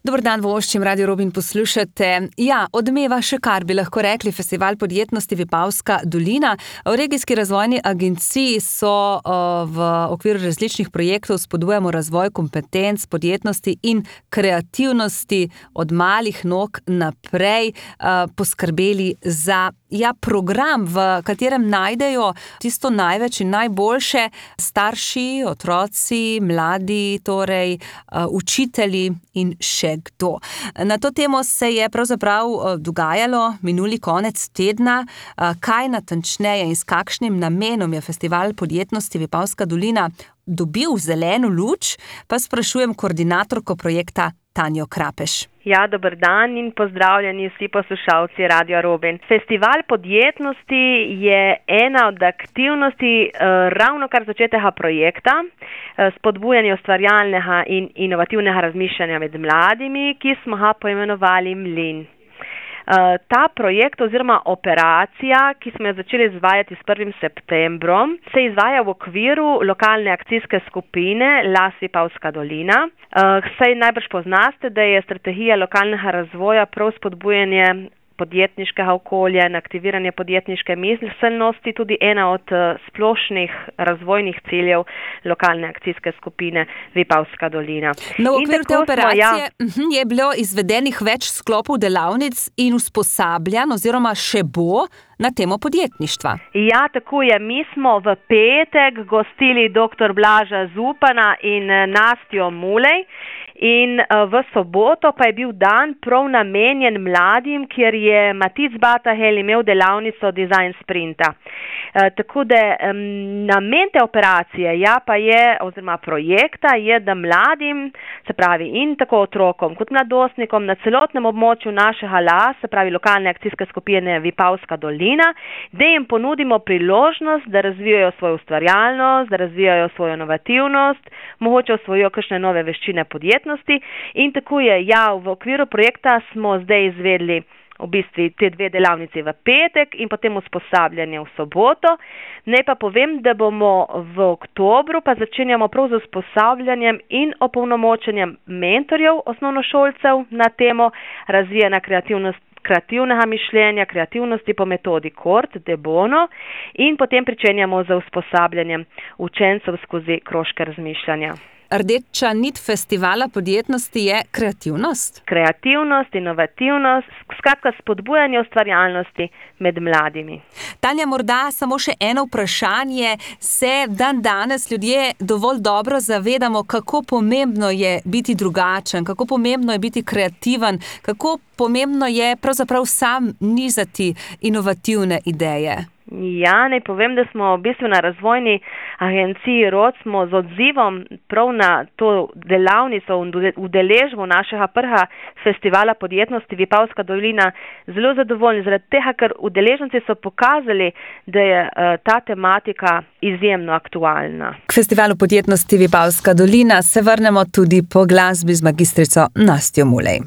Dober dan, voščim, Radio Robin poslušate. Ja, odmeva še kar bi lahko rekli Festival podjetnosti Vipavska dolina. V regijski razvojni agenciji so v okviru različnih projektov spodbujamo razvoj kompetenc, podjetnosti in kreativnosti od malih nog naprej poskrbeli za program, v katerem najdejo tisto največ in najboljše starši, otroci, mladi, torej učitelji in še kdo. Na to temo se je pravzaprav dogajalo minuli konec tedna. Kaj natančneje in s kakšnim namenom je Festival podjetnosti Vipavska dolina dobil zeleno luč, pa sprašujem koordinatorko projekta Tanjo Krapeš. Ja, dober dan in pozdravljeni vsi poslušalci Radia Robin. Festival podjetnosti je ena od aktivnosti ravno kar začetega projekta, spodbujanja ustvarjalnega in inovativnega razmišljanja med mladimi, ki smo ga poimenovali Mlin. Ta projekt oziroma operacija, ki smo jo začeli izvajati s 1. septembrom, se izvaja v okviru lokalne akcijske skupine Las Vipavska dolina. Saj najbrž poznaste, da je strategija lokalnega razvoja prav spodbujanje podjetniškega okolja in aktiviranje podjetniške miselnosti tudi ena od splošnih razvojnih ciljev lokalne akcijske skupine Vipavska dolina. No, v okviru te operacije je bilo izvedenih več sklopov delavnic in usposabljanj oziroma še bo na temo podjetništva. Ja, tako je. Mi smo v petek gostili dr. Blaža Zupana in Nastjo Mulej. In v soboto pa je bil dan prav namenjen mladim, kjer je Matic Batahel imel delavnico Design Sprinta. Tako da namen te operacije oziroma projekta je, da mladim, se pravi in tako otrokom kot mladostnikom na celotnem območju našega LAS, se pravi lokalne akcijske skupine Vipavska dolina, da jim ponudimo priložnost, da razvijajo svojo ustvarjalnost, da razvijajo svojo inovativnost, mogoče osvojijo kakšne nove veščine podjetnosti. In tako je, v okviru projekta smo zdaj izvedli v bistvu te dve delavnici v petek in potem usposabljanje v soboto. Naj pa povem, da bomo v oktobru pa začenjamo prav z usposabljanjem in opolnomočenjem mentorjev osnovnošolcev na temo razvijanja kreativnega mišljenja, kreativnosti po metodi Kort de Bono in potem pričenjamo z usposabljanjem učencev skozi krožke razmišljanja. Rdeča nit Festivala podjetnosti je kreativnost? Kreativnost, inovativnost, skratka spodbujanje ustvarjalnosti med mladimi. Tanja, morda samo še eno vprašanje. Se danes ljudje dovolj dobro zavedamo, kako pomembno je biti drugačen, kako pomembno je biti kreativen, kako pomembno je pravzaprav sam nizati inovativne ideje? Ja, naj povem, da smo v bistvu na razvojni agenciji ROD smo z odzivom prav na to delavnico in udeležbo našega prvega festivala podjetnosti Vipavska dolina zelo zadovoljni, zaradi tega, ker udeleženci so pokazali, da je ta tematika izjemno aktualna. K Festivalu podjetnosti Vipavska dolina se vrnemo tudi po glasbi z magistrico Nastjo Mulej.